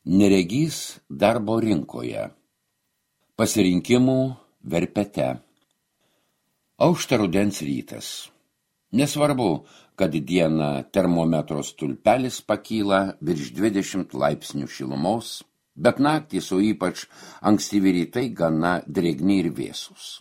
Neregys darbo rinkoje. Pasirinkimų verpete. Aušta rudens rytas. Nesvarbu, kad dieną termometro stulpelis pakyla virš 20 laipsnių šilumos, bet naktys, o ypač ankstyvi rytai gana drėgni ir vėsūs.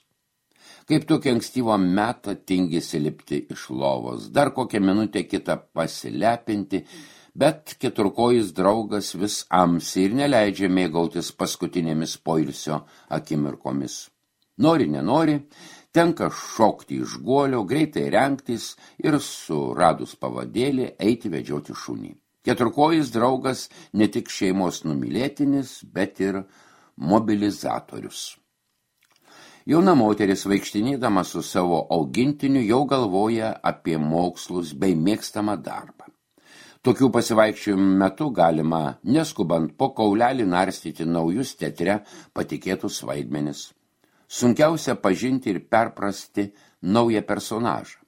Kaip tokia ankstyvo metą tingisi lipti iš lovos, dar kokią minutę kitą pasilepinti, bet keturkojis draugas vis amsi ir neleidžia mėgautis paskutinėmis poilsio akimirkomis. Nori, nenori, tenka šokti iš guolio, greitai rengtis ir suradus pavadėlį eiti vedžioti šunį. Keturkojis draugas ne tik šeimos numylėtinis, bet ir mobilizatorius. Jauna moteris vaikštinėdama su savo augintiniu jau galvoja apie mokslus bei mėgstamą darbą. Tokių pasivaikščiojimų metu galima, neskubant po kaulelį narstyti naujus teatre patikėtus vaidmenis. Sunkiausia pažinti ir perprasti naują personažą.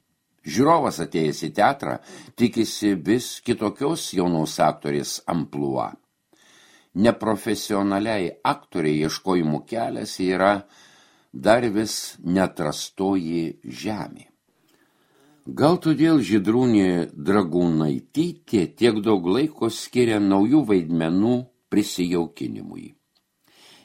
Žiūrovas atėjęs į teatrą tikisi vis kitokios jaunos aktorės amplua. Neprofesionaliai aktoriai ieškojimų kelias yra dar vis neatrastoji žemė. Gal todėl Žydrūnė Dragūnaitytė tiek daug laiko skiria naujų vaidmenų prisijaukinimui.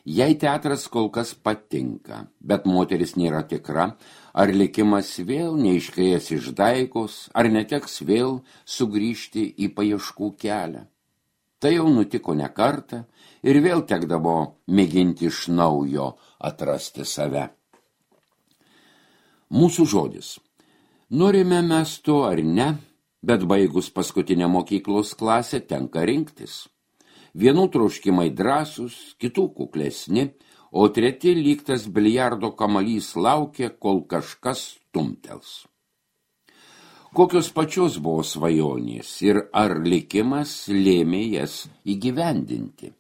Jai teatras kol kas patinka, bet moteris nėra tikra, ar likimas vėl neiškrės iš daigos, ar neteks vėl sugrįžti į paieškų kelią. Tai jau nutiko ne kartą ir vėl tekdavo mėginti iš naujo atrasti save. Mūsų žodis. Norime mes to ar ne, bet baigus paskutinę mokyklos klasę tenka rinktis. Vienų troškimai drąsūs, kitų kuklesni, o treti lyg tas biliardo kamalys laukia, kol kažkas stumtels. Kokios pačios buvo svajonės ir ar likimas lėmė jas įgyvendinti?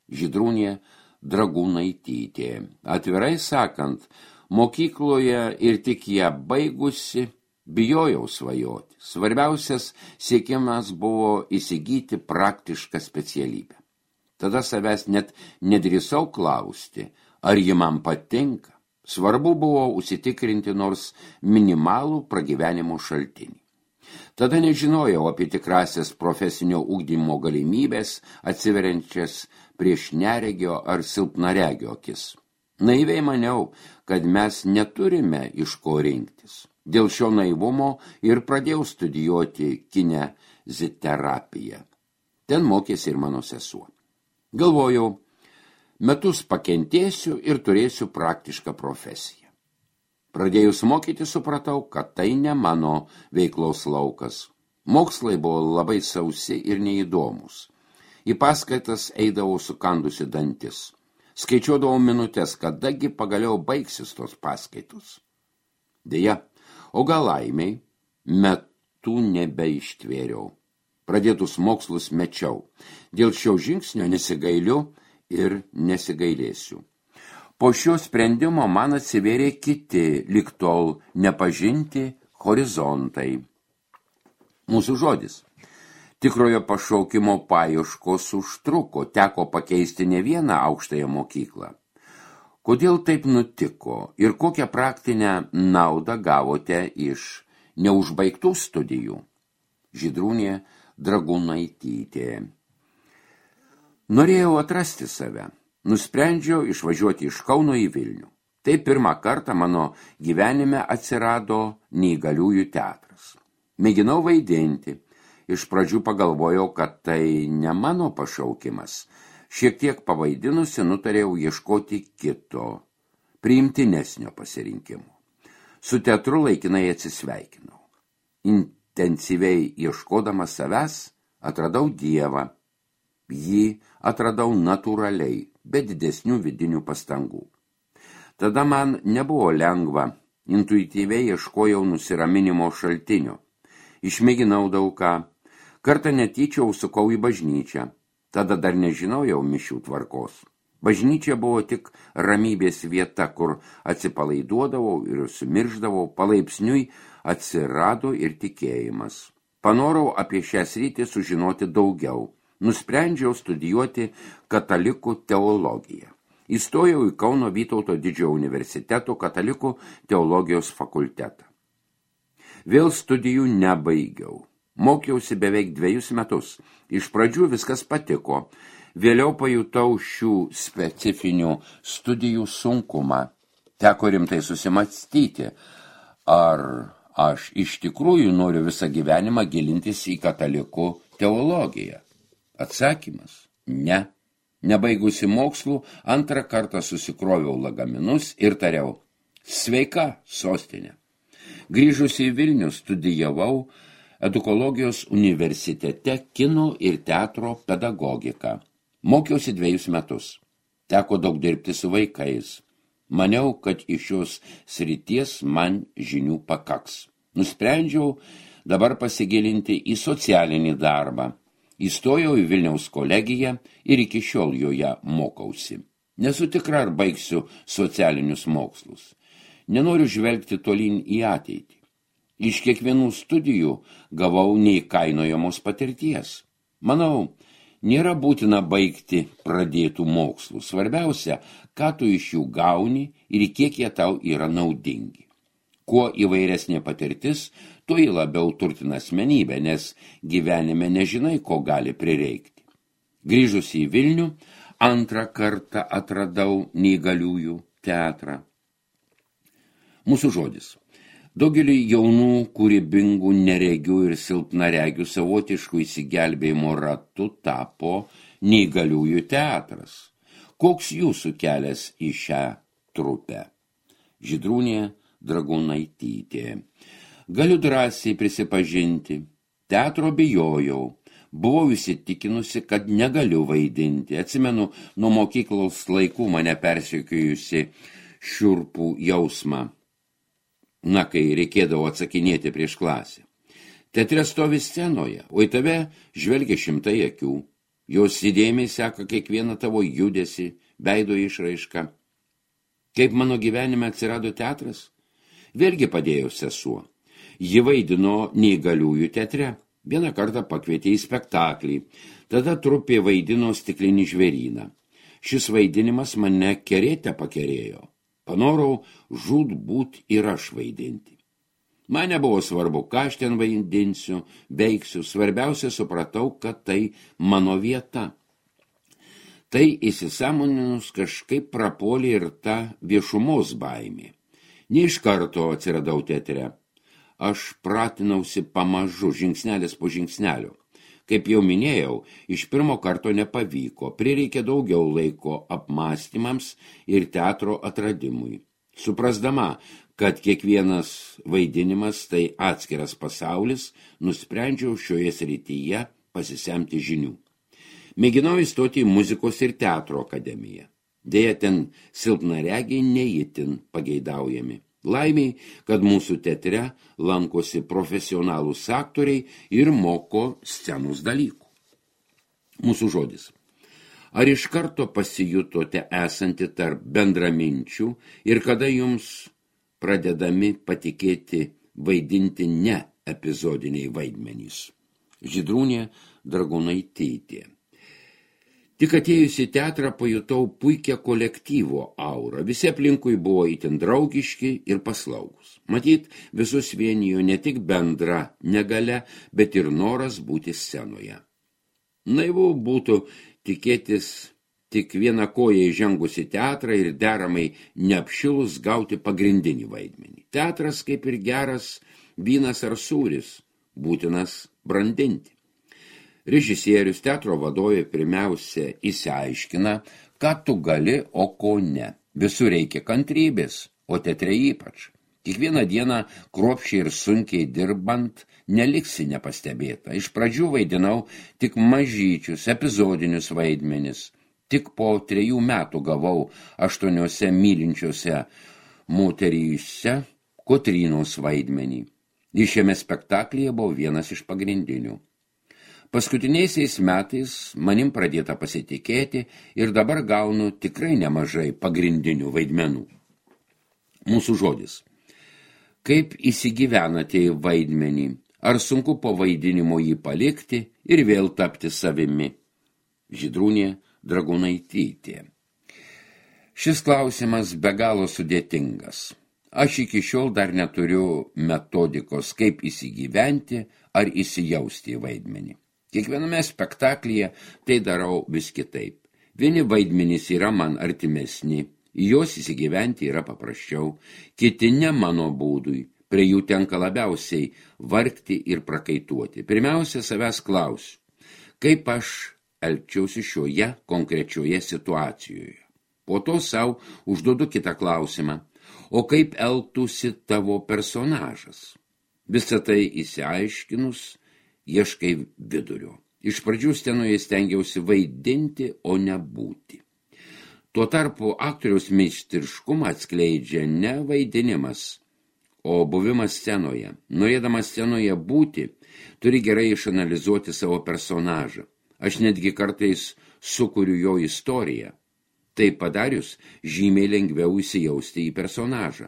Žydrūnė Dragūnaitytė. Atvirai sakant, mokykloje ir tik ją baigusi bijojau svajoti. Svarbiausias siekimas buvo įsigyti praktišką specialybę. Tada savęs net nedrįsau klausti, ar ji man patinka. Svarbu buvo užsitikrinti nors minimalų pragyvenimo šaltinį. Tada nežinojau apie tikrasias profesinio ugdymo galimybės atsiveriančias prieš neregio ar silpnaregio akis. Naiviai maniau, kad mes neturime iš ko rinktis. Dėl šio naivumo ir pradėjau studijuoti kineziterapiją. Ten mokėsi ir mano sesuo. Galvojau, metus pakentėsiu ir turėsiu praktišką profesiją. Pradėjus mokyti supratau, kad tai ne mano veiklos laukas. Mokslai buvo labai sausi ir neįdomus. Į paskaitas eidavau sukandusi dantis. Skaičiuodavau minutės, kadagi pagaliau baigsis tos paskaitos. Deja, o gal laimiai, metų nebeištvėriau. Pradėtus mokslus mečiau. Dėl šio žingsnio nesigailiu ir nesigailėsiu. Po šio sprendimo man atsivėrė kiti, lig tol nepažinti horizontai. Mūsų žodis. Tikrojo pašaukimo paieškos užtruko, teko pakeisti ne vieną aukštąją mokyklą. Kodėl taip nutiko ir kokią praktinę naudą gavote iš neužbaigtų studijų? Žydrūnė Dragūnaitytė. Norėjau atrasti save. Nusprendžiau išvažiuoti iš Kauno į Vilnių. Tai pirmą kartą mano gyvenime atsirado neįgaliųjų teatras. Mėginau vaidinti. Iš pradžių pagalvojau, kad tai ne mano pašaukimas. Šiek tiek pavaidinusi nutarėjau ieškoti kito, priimtinesnio pasirinkimo. Su teatru laikinai atsisveikinau. Intensyviai ieškodamas savęs atradau Dievą. Jį atradau natūraliai, be didesnių vidinių pastangų. Tada man nebuvo lengva, intuityviai ieškojau nusiraminimo šaltinio. Išmėginau daug ką. Kartą netyčia užsukau į bažnyčią. Tada dar nežinojau mišių tvarkos. Bažnyčia buvo tik ramybės vieta, kur atsipalaiduodavau ir sumirždavau, palaipsniui atsirado ir tikėjimas. Panorau apie šią sritį sužinoti daugiau. nusprendžiau studijuoti katalikų teologiją. Įstojau į Kauno Vytauto Didžiojo universiteto katalikų teologijos fakultetą. Vėl studijų nebaigiau. Mokiausi beveik 2 metus. Iš pradžių viskas patiko. Vėliau pajutau šių specifinių studijų sunkumą. Teko rimtai susimąstyti, ar aš iš tikrųjų noriu visą gyvenimą gilintis į katalikų teologiją. Atsakymas – ne. Nebaigusi mokslų, antrą kartą susikroviau lagaminus ir tariau – sveika, sostinė. Grįžusi į Vilnių studijavau Edukologijos universitete kino ir teatro pedagogiką. Mokiausi 2 metus. Teko daug dirbti su vaikais. Maniau, kad iš šios srities man žinių pakaks. Nusprendžiau dabar pasigilinti į socialinį darbą. Įstojau į Vilniaus kolegiją ir iki šiol joje mokausi. Nesu tikra, ar baigsiu socialinius mokslus. Nenoriu žvelgti tolyn į ateitį. Iš kiekvienų studijų gavau neįkainojamos patirties. Manau, nėra būtina baigti pradėtų mokslų. Svarbiausia, ką tu iš jų gauni ir kiek jie tau yra naudingi. Kuo įvairesnė patirtis, tuo jį labiau turtina asmenybė, nes gyvenime nežinai, ko gali prireikti. Grįžus į Vilnių, antrą kartą atradau neįgaliųjų teatrą. Mūsų žodis. Daugelį jaunų, kūrybingų, neregių ir silpnaregių savotiškų įsigelbėjimo ratu tapo neįgaliųjų teatras. Koks jūsų kelias į šią trupę? Žydrūnė Dragūnaitytė. Galiu drąsiai prisipažinti, teatro bijojau. Buvau įsitikinusi, kad negaliu vaidinti. Atsimenu, nuo mokyklos laikų mane persekiojusi šiurpų jausmą. Kai reikėdavo atsakinėti prieš klasę. Teatre stovi scenoje, o į tave žvelgia šimtai akių. Jos įdėmiai seka kiekvieną tavo judesį, veido išraišką. Kaip mano gyvenime atsirado teatras? Vėlgi padėjo sesuo. Ji vaidino neįgaliųjų teatre. Vieną kartą pakvietė į spektaklį. Tada trupė vaidino Stiklinį žvėryną. Šis vaidinimas mane kerėte pakerėjo. Panorau žūtbūt ir aš vaidinti. Man nebuvo svarbu, ką aš ten vaidinsiu, veiksiu. Svarbiausia, supratau, kad tai mano vieta. Tai įsisąmoninus kažkaip prapuolė ir ta viešumos baimė. Ne iš karto atsiradau teatre. Aš pratinausi pamažu, žingsnelis po žingsnelio. Kaip jau minėjau, iš pirmo karto nepavyko, prireikė daugiau laiko apmąstymams ir teatro atradimui. Suprasdama, kad kiekvienas vaidinimas tai atskiras pasaulis, nusprendžiau šioje srityje pasisemti žinių. Mėginau įstoti į muzikos ir teatro akademiją. Deja, ten silpnaregiai neįtin pageidaujami. Laimiai, kad mūsų teatre lankosi profesionalūs aktoriai ir moko scenos dalykų. Mūsų žodis. Ar iš karto pasijutote esanti tarp bendraminčių ir kada jums pradedami patikėti vaidinti ne epizodiniai vaidmenys? Žydrūnė Dragūnaitytė. Tik atėjus į teatrą pajutau puikią kolektyvo aurą. Visi aplinkui buvo itin draugiški ir paslaugus. Matyt, visus vienijo ne tik bendra negalia, bet ir noras būti scenoje. Naivu būtų tikėtis tik vieną koją įžengus į teatrą ir deramai neapšilus gauti pagrindinį vaidmenį. Teatras, kaip ir geras vynas ar sūris, būtinas brandinti. Režisierius, teatro vadovė pirmiausia įsiaiškina, ką tu gali, o ko ne. Visur reikia kantrybės, o teatre ypač. Kiekvieną dieną kruopščiai ir sunkiai dirbant neliksi nepastebėta. Iš pradžių vaidinau tik mažyčius, epizodinius vaidmenis. Tik po 3 metų gavau 8 mylinčiose moteryse Kotrynos vaidmenį. Ir šiame spektaklyje buvo vienas iš pagrindinių. Paskutiniaisiais metais manim pradėta pasitikėti ir dabar gaunu tikrai nemažai pagrindinių vaidmenų. Mūsų žodis. Kaip įsigyvenate į vaidmenį? Ar sunku po vaidinimo jį palikti ir vėl tapti savimi? Žydrūnė Dragūnaitytė. Šis klausimas be galo sudėtingas. Aš iki šiol dar neturiu metodikos, kaip įsigyventi ar įsijausti į vaidmenį. Kiekviename spektaklyje tai darau vis kitaip. Vieni vaidmenys yra man artimesni, į juos įsigyventi yra paprasčiau, kiti ne mano būdui, prie jų tenka labiausiai vargti ir prakaituoti. Pirmiausia, savęs klausiu, kaip aš elgčiausi šioje konkrečioje situacijoje. Po to savo užduodu kitą klausimą, o kaip elgtųsi tavo personažas? Visą tai įsiaiškinus, ieškai vidurio. Iš pradžių scenoje stengiausi vaidinti, o ne būti. Tuo tarpu aktoriaus meistriškumą atskleidžia ne vaidinimas, o buvimas scenoje. Norėdamas scenoje būti, turi gerai išanalizuoti savo personažą. Aš netgi kartais sukuriu jo istoriją. Tai padarius, žymiai lengviau įsijausti į personažą.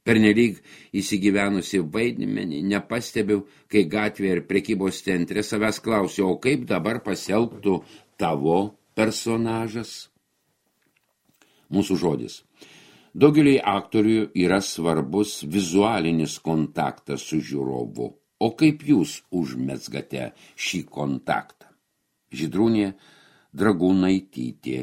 Pernelyg įsigyvenusi vaidmenį nepastebiu, kai gatvėje ir prekybos centre savęs klausiu, o kaip dabar pasielgtų tavo personažas? Mūsų žodis. Daugeliui aktorių yra svarbus vizualinis kontaktas su žiūrovu. O kaip jūs užmezgate šį kontaktą? Žydrūnė Dragūnaitytė.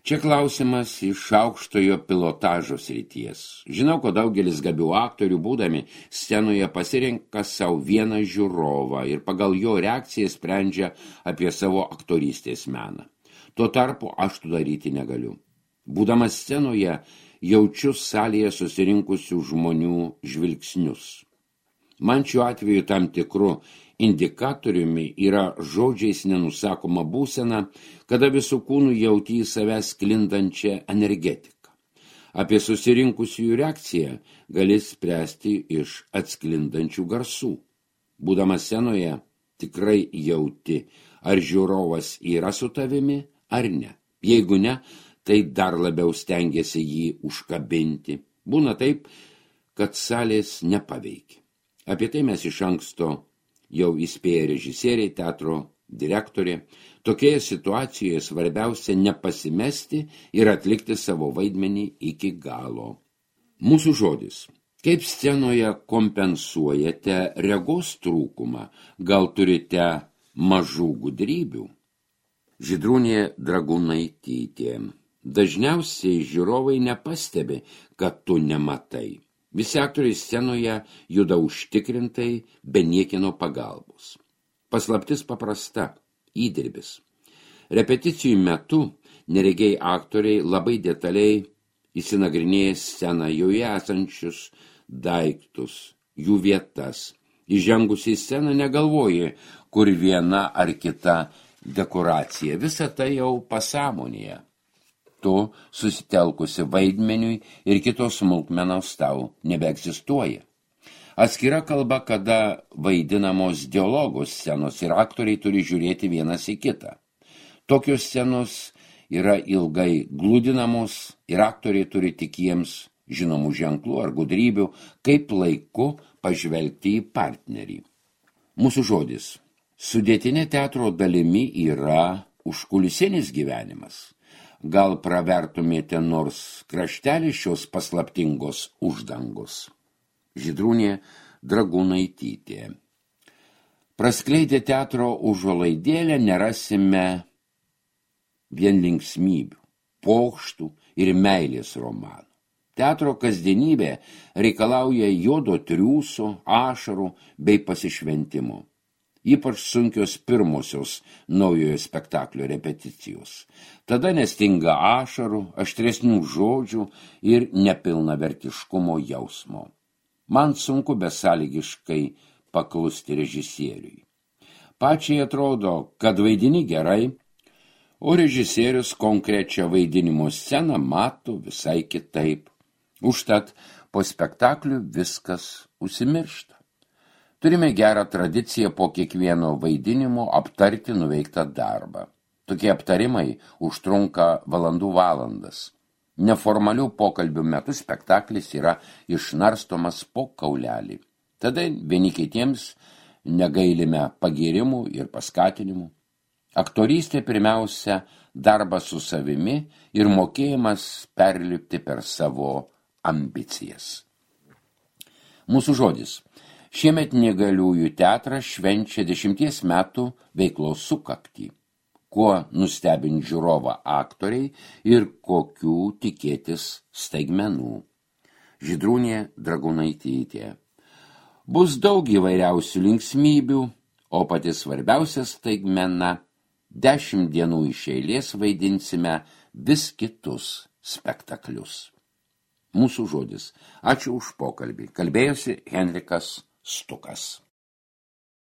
Čia klausimas iš aukštojo pilotažo srities. Žinau, kad daugelis gabių aktorių būdami scenoje pasirenka savo vieną žiūrovą ir pagal jo reakciją sprendžia apie savo aktorystės meną. Tuo tarpu aš to daryti negaliu. Būdamas scenoje jaučiu salėje susirinkusių žmonių žvilgsnius. Man šiuo atveju tam tikru indikatoriumi yra žodžiais nenusakoma būsena, kada visų kūnų jauti į savęs sklindančią energetiką. Apie susirinkusiųjų reakciją gali spręsti iš atsklindančių garsų. Būdamas scenoje tikrai jauti, ar žiūrovas yra su tavimi ar ne. Jeigu ne, tai dar labiau stengiasi jį užkabinti. Būna taip, kad salės nepaveikia. Apie tai mes iš anksto jau įspėja režisieriai, teatro direktorė. Tokioje situacijoje svarbiausia nepasimesti ir atlikti savo vaidmenį iki galo. Mūsų žodis. Kaip scenoje kompensuojate regos trūkumą? Gal turite mažų gudrybių? Žydrūnė Dragūnaitytė. Dažniausiai žiūrovai nepastebi, kad tu nematai. Visi aktoriai scenoje juda užtikrintai, be niekino pagalbos. Paslaptis paprasta – įdirbis. Repeticijų metu neregiai aktoriai labai detaliai įsinagrinėja sceną, joje esančius daiktus, jų vietas. Įžengus į sceną negalvoji, kur viena ar kita dekoracija. Visa tai jau pasąmonėje. Tu susitelkusi vaidmeniui ir kitos smulkmenos tau nebeegzistuoja. Atskira kalba, kada vaidinamos dialogos scenos ir aktoriai turi žiūrėti vienas į kitą. Tokios scenos yra ilgai gludinamos ir aktoriai turi tik jiems žinomų ženklų ar gudrybių, kaip laiku pažvelgti į partnerį. Mūsų žodis. Sudėtinė teatro dalimi yra užkulisinis gyvenimas. Gal pravertumėte nors kraštelį šios paslaptingos uždangos? Žydrūnė Dragūnaitytė. Praskleidę teatro užuolaidėlę nerasime vien linksmybių, pokštų ir meilės romanų. Teatro kasdienybė reikalauja juodo triūso, ašarų bei pasišventimo. Ypač sunkios pirmosios naujojo spektaklio repeticijos. Tada nestinga ašarų, aštresnių žodžių ir nepilnavertiškumo jausmo. Man sunku besąlygiškai paklusti režisieriui. Pačiai atrodo, kad vaidini gerai, o režisierius konkrečią vaidinimo sceną mato visai kitaip. Užtat po spektaklių viskas užsimiršta. Turime gerą tradiciją po kiekvieno vaidinimo aptarti nuveiktą darbą. Tokie aptarimai užtrunka valandas. Neformalių pokalbių metu spektaklis yra išnarstomas po kaulelį. Tada vieni kitiems negailime pagyrimų ir paskatinimų. Aktorystė pirmiausia darbas su savimi ir mokėjimas perlipti per savo ambicijas. Mūsų žodis. Šiemet Neįgaliųjų teatras švenčia 10 metų veiklos sukaktį. Kuo nustebinti žiūrovą aktoriai ir kokių tikėtis staigmenų. Žydrūnė Dragūnaitytė. Bus daug įvairiausių linksmybių, o pati svarbiausia staigmena 10 dienų iš eilės vaidinsime vis kitus spektaklius. Mūsų žodis. Ačiū už pokalbį. Kalbėjosi Henrikas Stukas.